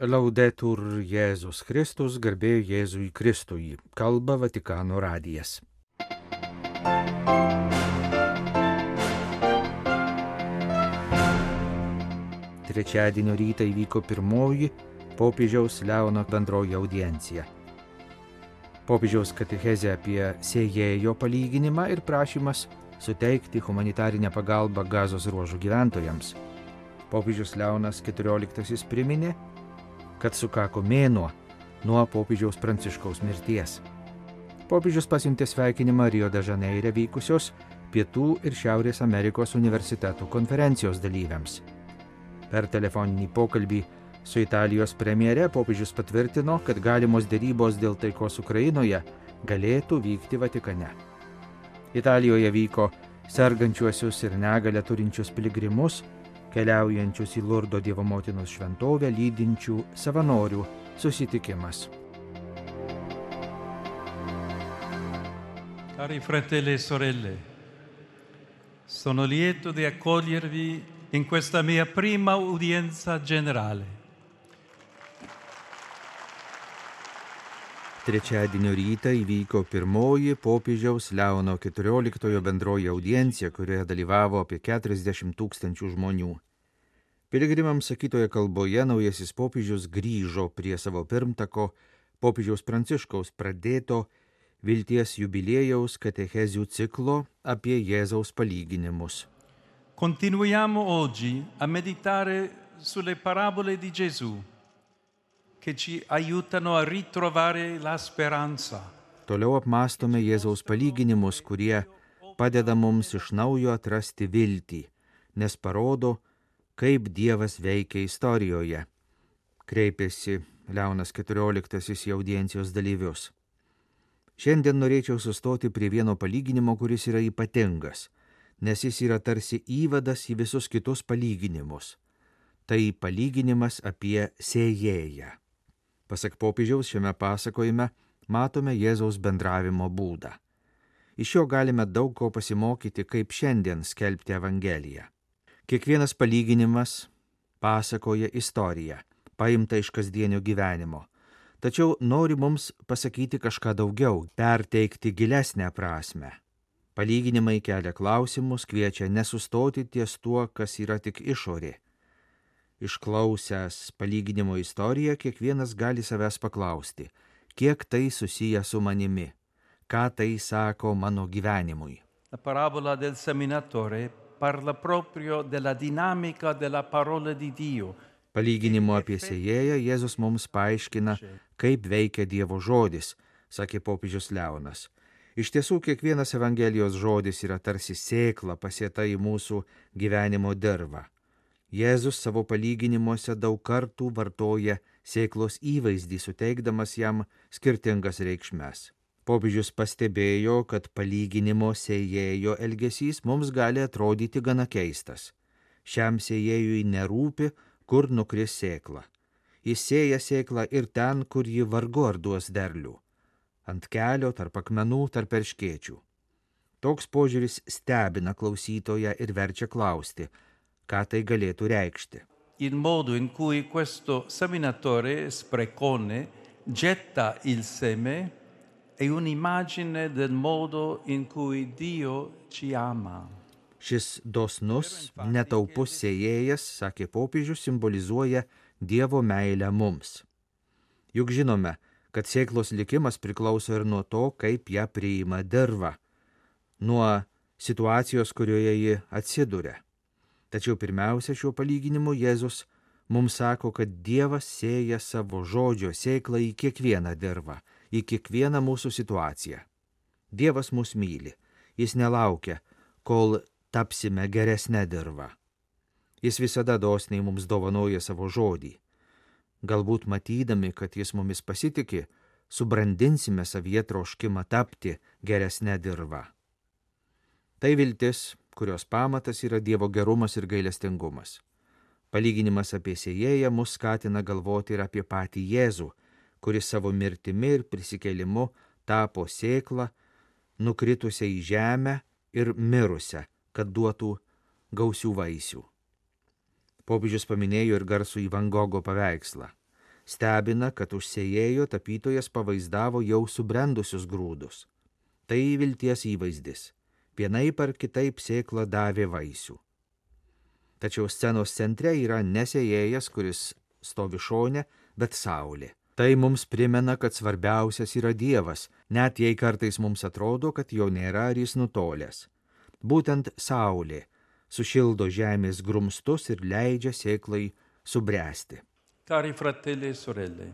Laudetur Jėzus Kristus, garbė Jėzui Kristui, kalba Vatikano radijas. Trečiadienio rytą įvyko pirmoji popiežiaus Leono bendroji audiencija. Popiežiaus katechezė apie sėjėjo palyginimą ir prašymas suteikti humanitarinę pagalbą Gazos ruožo gyventojams. Popiežius Leonas XIV priminė, kad sukako mėnuo nuo popiežiaus Pranciškaus mirties. Popiežius pasiuntė sveikinimą Rio de Žaneire vykusios Pietų ir Šiaurės Amerikos universitetų konferencijos dalyviams. Per telefoninį pokalbį su Italijos premjere popiežius patvirtino, kad galimos derybos dėl taikos Ukrainoje galėtų vykti Vatikane. Italijoje vyko sergančiuosius ir negalią turinčius piligrimus, keliaujančius į Lurdo Dievo motinos šventovę lydinčių savanorių susitikimas. Cari fratelli e sorelle, sono lieto di accogliervi in questa mia prima udienza generale. Trečiadienio rytą įvyko pirmoji popiežiaus Leono XIV bendroji audiencija, kurioje dalyvavo apie 40 000 žmonių. Piligrimams sakytoje kalboje naujasis popiežius grįžo prie savo pirmtako popiežiaus Pranciškaus pradėto vilties jubiliejaus katechezių ciklo apie Jėzaus palyginimus. Continuiamo oggi a meditare sulle parabole di Gesù, che ci aiutano a ritrovare la speranza. Toliau apmąstome Jėzaus palyginimus, kurie padeda mums iš naujo atrasti viltį, nes parodo, kaip Dievas veikia istorijoje, kreipėsi Leonas XIV į audiencijos dalyvius. Šiandien norėčiau sustoti prie vieno palyginimo, kuris yra ypatingas, nes jis yra tarsi įvadas į visus kitus palyginimus. Tai palyginimas apie sėjėją. Pasak popiežiaus šiame pasakojime matome Jėzaus bendravimo būdą. Iš jo galime daug ko pasimokyti, kaip šiandien skelbti Evangeliją. Kiekvienas palyginimas pasakoja istoriją, paimtą iš kasdienio gyvenimo, tačiau nori mums pasakyti kažką daugiau, perteikti gilesnę prasmę. Palyginimai kelia klausimus, kviečia nesustoti ties tuo, kas yra tik išorė. Išklausęs palyginimo istoriją, kiekvienas gali savęs paklausti, kiek tai susiję su manimi, ką tai sako mano gyvenimui. La parabola del seminatore parla proprio della dinamica della parola di Dio. Palyginimo apie sėjėją Jėzus mums paaiškina, kaip veikia Dievo žodis, sakė popiežius Leonas. Iš tiesų, kiekvienas Evangelijos žodis yra tarsi sėkla pasėta į mūsų gyvenimo dirvą. Jėzus savo palyginimuose daug kartų vartoja sėklos įvaizdį, suteikdamas jam skirtingas reikšmes. Popiežius pastebėjo, kad palyginimo sėjėjo elgesys mums gali atrodyti gana keistas. Šiam sėjėjui nerūpi, kur nukris sėkla. Jis sėja sėklą ir ten, kur ji vargu ar duos derlių. Ant kelio, tarp akmenų, tarp erškėčių. Toks požiūris stebina klausytoją ir verčia klausti, ką tai galėtų reikšti. Il modo in cui questo seminatore sprecone getta il seme è un'immagine del modo in cui Dio ci ama. Šis dosnus, netaupus sėjėjas, sakė popiežius, simbolizuoja Dievo meilę mums. Juk žinome, kad sėklos likimas priklauso ir nuo to, kaip ją priima dirva, nuo situacijos, kurioje ji atsiduria. Tačiau pirmiausia, šiuo palyginimu Jėzus mums sako, kad Dievas sėja savo žodžio sėklą į kiekvieną dirvą, į kiekvieną mūsų situaciją. Dievas mus myli, jis nelaukia, kol tapsime geresnę dirvą. Jis visada dosniai mums dovanoja savo žodį. Galbūt matydami, kad jis mumis pasitiki, subrandinsime savyje troškimą tapti geresnę dirvą. Tai viltis, kurios pamatas yra Dievo gerumas ir gailestingumas. Palyginimas apie sėjėją mus skatina galvoti ir apie patį Jėzų, kuris savo mirtimi ir prisikėlimu tapo sėklą, nukritusią į žemę ir mirusią, kad duotų gausių vaisių. Popiežius paminėjo ir garsųjį Van Gogo paveikslą. Stebina, kad už sėjėjo tapytojas pavaizdavo jau subrendusius grūdus. Tai vilties įvaizdis. Vienaip ar kitaip sėkla davė vaisių. Tačiau scenos centre yra ne sėjėjas, kuris stovi šone, bet saulė. Tai mums primena, kad svarbiausias yra Dievas, net jei kartais mums atrodo, kad jo nėra ar jis nutolęs. Būtent saulė sušildo žemės grumstus ir leidžia sėklai subręsti. Cari fratelli e sorelle,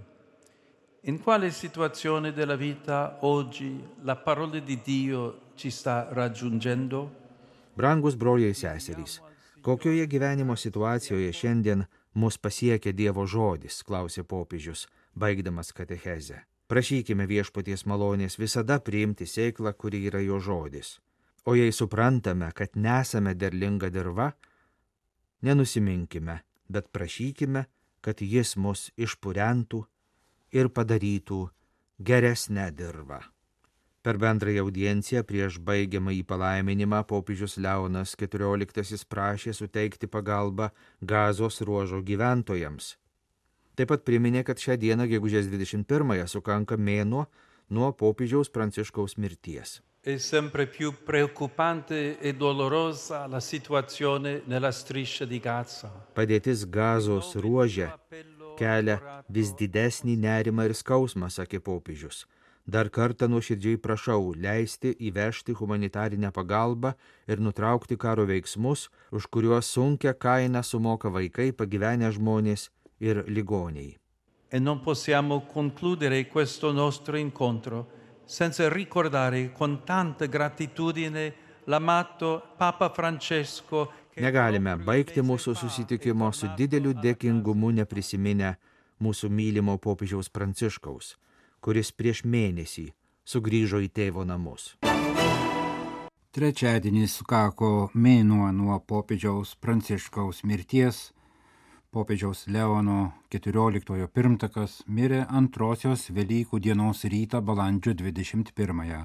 in quale situazione della vita oggi la parola di Dio ci sta raggiungendo? Brangus broliai ir seserys, kokioje gyvenimo situacijoje šiandien mus pasiekia Dievo žodis, klausė popiežius, baigdamas katechezę. Prašykime viešpaties malonės visada priimti sėklą, kuri yra jo žodis. O jei suprantame, kad nesame derlinga dirva, nenusiminkime, bet prašykime, kad jis mus išpurentų ir padarytų geresnę dirvą. Per bendrąją audienciją prieš baigiamąjį palaiminimą popiežius Leonas XIV prašė suteikti pagalbą Gazos ruožo gyventojams. Taip pat priminė, kad šią dieną, gegužės 21-ąją, sukanka mėnuo nuo popiežiaus Pranciškaus mirties. È sempre più preoccupante e dolorosa la situazione nella striscia di Gaza. Padėtis Gazos ruože kelia vis didesnį nerimą ir skausmą, sakė popiežius. Dar kartą nuoširdžiai prašau leisti įvežti humanitarinę pagalbą ir nutraukti karo veiksmus, už kuriuos sunkią kainą sumoka vaikai, pagyvenę žmonės ir ligoniai. E non possiamo concludere questo nostro incontro senza ricordare con tanta gratitudine l'amato Papa Francesco. Negalime baigti mūsų susitikimo su dideliu dėkingumu neprisiminę mūsų mylimo popiežiaus Pranciškaus, kuris prieš mėnesį sugrįžo į tėvo namus. Trečiadienį sukako mėnuo nuo popiežiaus Pranciškaus mirties. Popiežiaus Leono XIV pirmtakas mirė antrosios Velykų dienos rytą balandžio 21-ąją.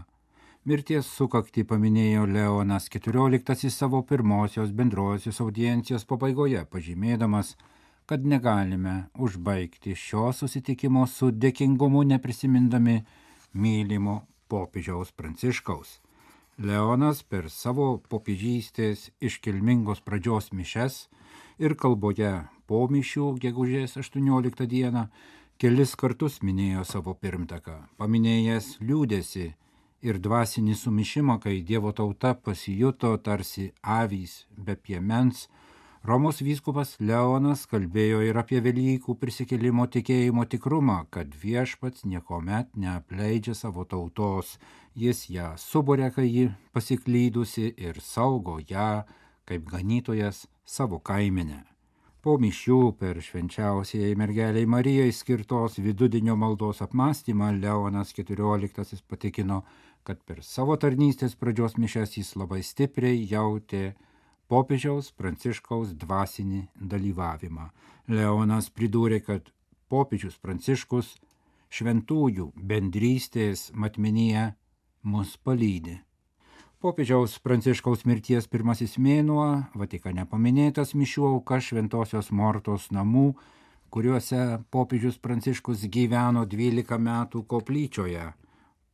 Mirties sukaktį paminėjo Leonas XIV savo pirmosios bendrosios audiencijos pabaigoje, pažymėdamas, kad negalime užbaigti šio susitikimo su dėkingumu neprisimindami mylimo popiežiaus Pranciškaus. Leonas per savo popiežystės iškilmingos pradžios mišes ir kalboje po mišių gegužės 18 dieną kelis kartus minėjo savo pirmtaką, paminėjęs liūdesį ir dvasinį sumišimą, kai Dievo tauta pasijuto tarsi avys be piemens. Romos vyskupas Leonas kalbėjo ir apie Velykų prisikėlimo tikėjimo tikrumą, kad viešpats niekuomet neapleidžia savo tautos, jis ją suburia, kai ji pasiklydusi ir saugo ją kaip ganytojas savo kaimenę. Po mišių per švenčiausiai mergeliai Marijai skirtos vidudienio maldos apmąstymą Leonas XIV patikino, kad per savo tarnystės pradžios mišias jis labai stipriai jautė popiežiaus Pranciškaus dvasinį dalyvavimą. Leonas pridūrė, kad popiežius Pranciškus šventųjų bendrystės matmenyje mus palydi. Popiežiaus Pranciškaus mirties pirmasis mėnuo Vatikane paminėtas mišių auka Šventosios Mortos namų, kuriuose popiežius Pranciškus gyveno 12 metų koplyčioje.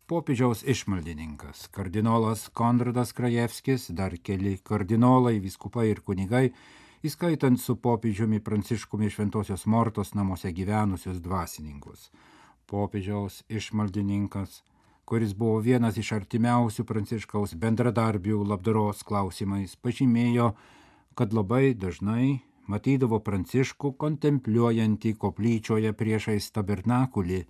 Popiežiaus išmaldininkas, kardinolas Konradas Krajevskis, dar keli kardinolai, vyskupai ir kunigai, įskaitant su popiežiumi Pranciškumi Šventosios Mortos namuose gyvenusius dvasininkus. Popiežiaus išmaldininkas, kuris buvo vienas iš artimiausių Pranciškaus bendradarbių labdaros klausimais, pažymėjo, kad labai dažnai matydavo Pranciškų kontempliuojantį koplyčioje priešais tabernakulį,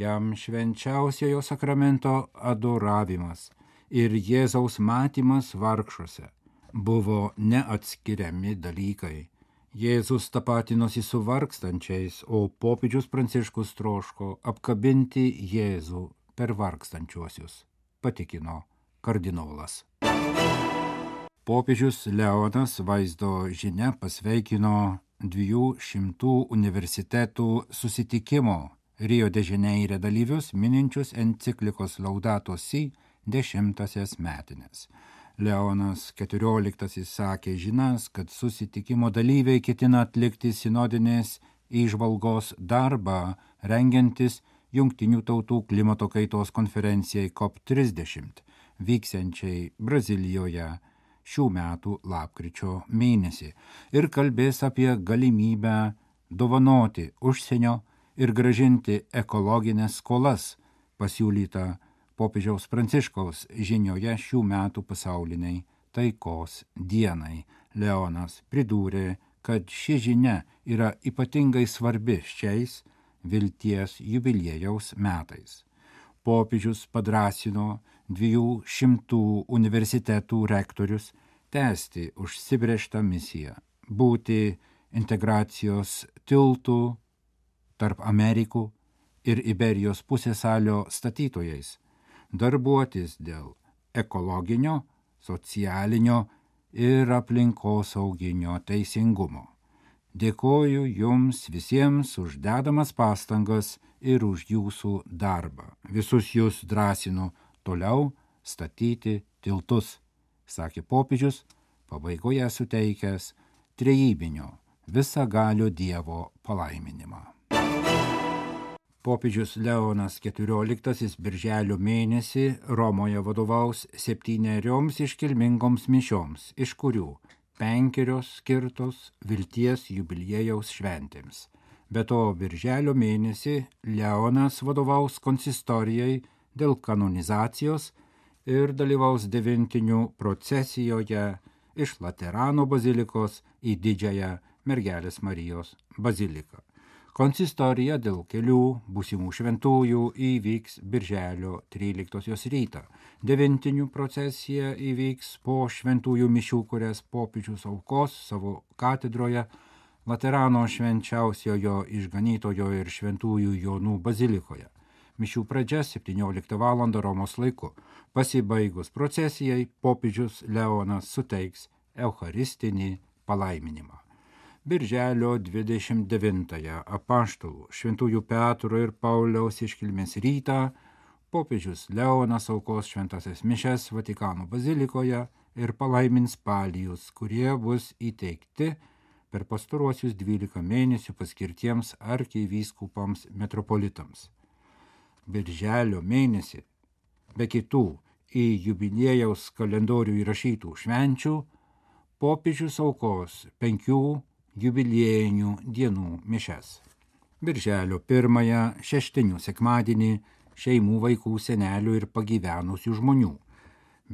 jam švenčiausiojo sakramento adoravimas ir Jėzaus matymas vargšuose buvo neatskiriami dalykai. Jėzus tapatinosi su vargstančiais, o popiežius Pranciškus troško apkabinti Jėzų per vargstančiuosius, patikino kardinolas. Popiežius Leonas vaizdo žinia pasveikino 200 universitetų susitikimo Rio de Janeire dalyvius mininčius enciklikos Laudato Si 10-asias metinės. Leonas XIV sakė žinas, kad susitikimo dalyviai ketina atlikti sinodinės įžvalgos darbą rengiantis Jungtinių tautų klimato kaitos konferencijai COP30, vyksiančiai Brazilijoje šių metų lapkričio mėnesį, ir kalbės apie galimybę dovanoti užsienio ir gražinti ekologinės skolas, pasiūlyta popiežiaus Pranciškaus žinioje šių metų pasauliniai taikos dienai. Leonas pridūrė, kad ši žinia yra ypatingai svarbi šiais vilties jubiliejaus metais. Popiežius padrąsino 200 universitetų rektorius tęsti užsibrėžtą misiją, būti integracijos tiltų tarp Amerikų ir Iberijos pusiasalio statytojais, darbuotis dėl ekologinio, socialinio ir aplinkosauginio teisingumo. Dėkoju jums visiems už dedamas pastangas ir už jūsų darbą. Visus jūs drąsinu toliau statyti tiltus, sakė popiežius, pabaigoje suteikęs trejybinio visagalio Dievo palaiminimą. Popiežius Leonas XIV birželio mėnesį Romoje vadovaus 7 iškilmingoms mišioms, iš kurių 5 skirtos vilties jubiliejaus šventėms. Be to, birželio mėnesį Leonas vadovaus konsistorijai dėl kanonizacijos ir dalyvaus 9 procesijoje iš Laterano bazilikos į Didžiąją Mergelės Marijos baziliką. Konsistorija dėl kelių būsimų šventųjų įvyks birželio 13 rytą. 9 procesija įvyks po šventųjų mišių, kurias popiežius aukos savo katedroje Laterano švenčiausiojo išganytojo ir šventųjų Jonų bazilikoje. Mišių pradžia 17 val. Romos laiku. Pasibaigus procesijai, popiežius Leonas suteiks eucharistinį palaiminimą. Birželio 29 apaštalų šventųjų Petro ir Pauliaus iškilmės rytą popiežius Leonas aukos šventasias mišias Vatikano bazilikoje ir palaimins palijus, kurie bus įteikti per pastaruosius 12 mėnesių paskirtiems arkivyskupams metropolitams. Birželio mėnesį, be kitų į jubiliejaus kalendorių įrašytų švenčių, popiežius aukos 5 jubiliejinių dienų mišias. Birželio 1 šeštinių sekmadienį šeimų, vaikų, senelių ir pagyvenusių žmonių.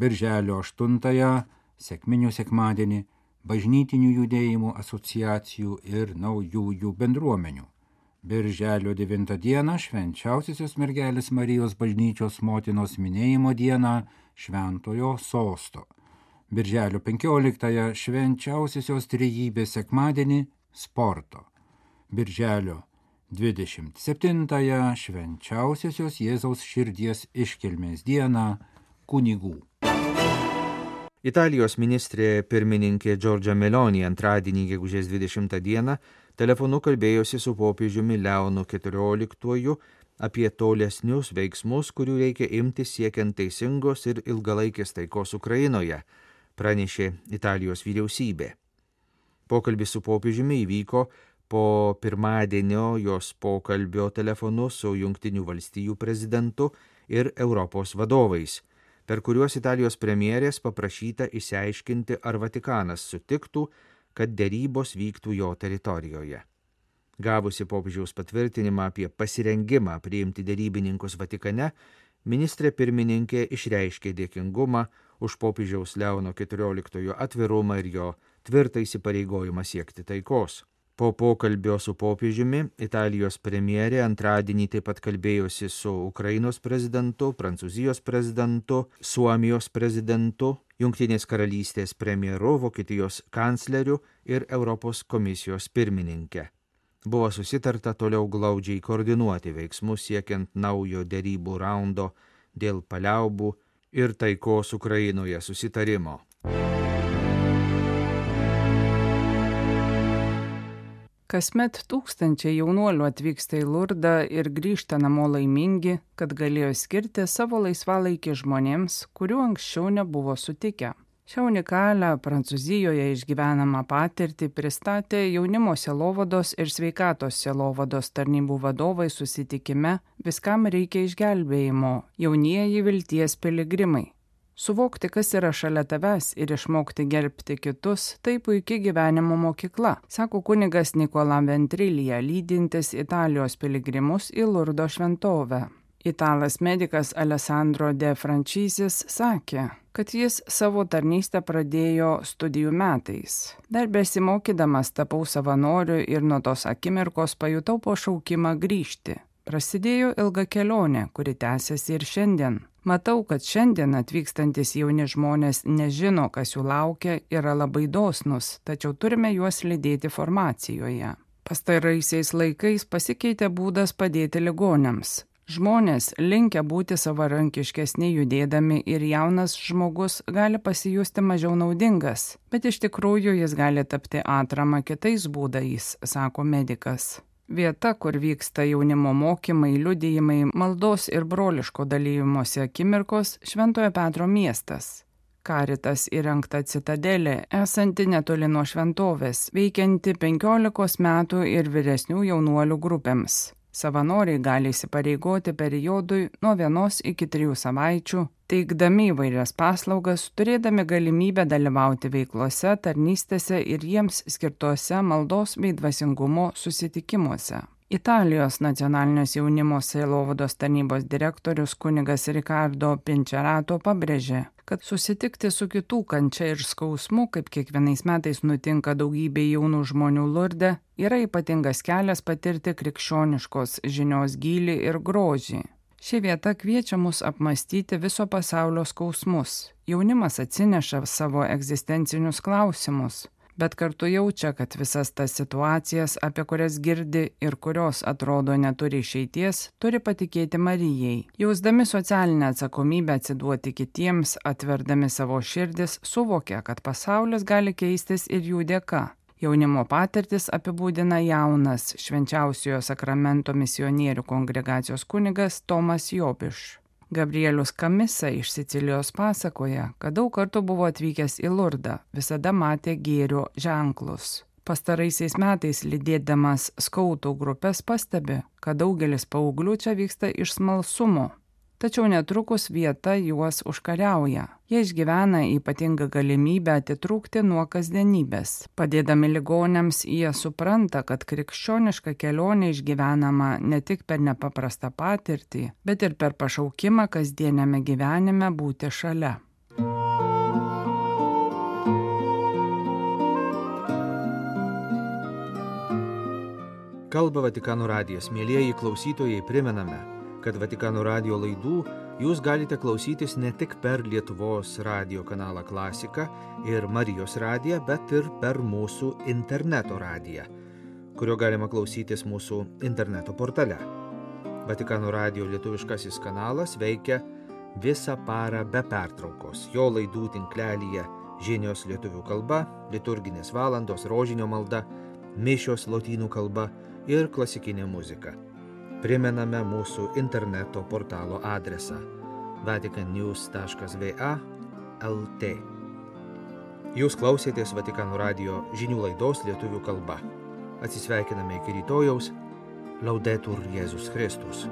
Birželio 8 sekminių sekmadienį bažnytinių judėjimų, asociacijų ir naujųjų bendruomenių. Birželio 9 dieną švenčiausiosios mergelės Marijos bažnyčios motinos minėjimo dieną Šventojo sosto. Birželio 15 švenčiausiosios trejybės sekmadienį sporto. Birželio 27 švenčiausiosios Jėzaus širdies iškilmės dieną kunigų. Italijos ministrė pirmininkė Giorgia Meloni antradienį gegužės 20 dieną telefonu kalbėjosi su popiežiumi Leonu XIV apie tolesnius veiksmus, kurių reikia imtis siekiant teisingos ir ilgalaikės taikos Ukrainoje, pranešė Italijos vyriausybė. Pokalbis su popiežiumi įvyko po pirmadienio jos pokalbio telefonu su Jungtinių valstijų prezidentu ir Europos vadovais, per kuriuos Italijos premjerės paprašyta išsiaiškinti, ar Vatikanas sutiktų, kad derybos vyktų jo teritorijoje. Gavusi popiežiaus patvirtinimą apie pasirengimą priimti derybininkus Vatikane, ministrė pirmininkė išreiškė dėkingumą už popiežiaus Leono XIV atvirumą ir jo tvirtą įsipareigojimą siekti taikos. Po pokalbio su popiežiumi Italijos premjerė antradienį taip pat kalbėjosi su Ukrainos prezidentu, Prancūzijos prezidentu, Suomijos prezidentu, Jungtinės karalystės premjeru, Vokietijos kancleriu ir Europos komisijos pirmininke. Buvo susitarta toliau glaudžiai koordinuoti veiksmus siekiant naujo derybų raundo dėl paliaubų ir taikos Ukrainoje susitarimo. Kasmet tūkstančiai jaunuolių atvyksta į Lurdą ir grįžta namo laimingi, kad galėjo skirti savo laisvalaikį žmonėms, kurių anksčiau nebuvo sutikę. Šią unikalią Prancūzijoje išgyvenamą patirtį pristatė jaunimo sielovados ir sveikatos sielovados tarnybų vadovai susitikime Viskam reikia išgelbėjimo – jaunieji vilties piligrimai. Suvokti, kas yra šalia tavęs ir išmokti gerbti kitus – tai puikia gyvenimo mokykla, sako kunigas Nikola Ventrilija, lydintis Italijos piligrimus į Lurdo šventovę. Italas medikas Alessandro De Frančisis sakė, kad jis savo tarnystę pradėjo studijų metais. Dar besimokydamas tapau savanoriu ir nuo tos akimirkos pajutau pašaukimą grįžti. Prasidėjo ilga kelionė, kuri tęsiasi ir šiandien. Matau, kad šiandien atvykstantis jauni žmonės nežino, kas jų laukia, yra labai dosnus, tačiau turime juos lydėti formacijoje. Pastaraisiais laikais pasikeitė būdas padėti ligoniams. Žmonės linkę būti savarankiškesni judėdami ir jaunas žmogus gali pasijusti mažiau naudingas, bet iš tikrųjų jis gali tapti atrama kitais būdais, sako medikas. Vieta, kur vyksta jaunimo mokymai, liudijimai, maldos ir broliško dalymosi akimirkos – Šventojo Petro miestas. Karitas įrengta citadelė, esanti netoli nuo šventovės, veikianti 15 metų ir vyresnių jaunuolių grupėms. Savanoriai gali įsipareigoti periodui nuo 1 iki 3 savaičių, teikdami įvairias paslaugas, turėdami galimybę dalyvauti veiklose, tarnystėse ir jiems skirtuose maldos bei dvasingumo susitikimuose. Italijos nacionalinės jaunimo sielovados tarnybos direktorius kunigas Ricardo Pinčerato pabrėžė, kad susitikti su kitų kančia ir skausmu, kaip kiekvienais metais nutinka daugybė jaunų žmonių Lurde, yra ypatingas kelias patirti krikščioniškos žinios gylį ir grožį. Ši vieta kviečia mus apmastyti viso pasaulio skausmus. Jaunimas atsineša savo egzistencinius klausimus, bet kartu jaučia, kad visas tas situacijas, apie kurias girdi ir kurios atrodo neturi išeities, turi patikėti Marijai. Jausdami socialinę atsakomybę atsiduoti kitiems, atverdami savo širdis, suvokia, kad pasaulis gali keistis ir jų dėka. Jaunimo patirtis apibūdina jaunas Švenčiausiojo sakramento misionierių kongregacijos kunigas Tomas Jobiš. Gabrielius Kamisa iš Sicilijos pasakoja, kad daug kartų buvo atvykęs į Lurdą, visada matė gėrio ženklus. Pastaraisiais metais lydėdamas skautų grupės pastebi, kad daugelis paauglių čia vyksta iš smalsumo. Tačiau netrukus vieta juos užkariauja. Jie išgyvena ypatingą galimybę atitrūkti nuo kasdienybės. Padėdami ligoniams jie supranta, kad krikščioniška kelionė išgyvenama ne tik per nepaprastą patirtį, bet ir per pašaukimą kasdieniame gyvenime būti šalia. Kalba Vatikano radijas. Mielieji klausytojai, primename, kad Vatikano radijo laidų jūs galite klausytis ne tik per Lietuvos radijo kanalą Klasika ir Marijos radiją, bet ir per mūsų interneto radiją, kurio galima klausytis mūsų interneto portale. Vatikano radijo lietuviškasis kanalas veikia visą parą be pertraukos. Jo laidų tinklelyje žinios lietuvių kalba, liturginės valandos, rožinio malda, mišios lotynų kalba ir klasikinė muzika. Primename mūsų interneto portalo adresą vaticannews.va/lt. Jūs klausėtės Vatikano radijo žinių laidos lietuvių kalba. Atsisveikiname iki rytojaus. Laudetur Jėzus Kristus.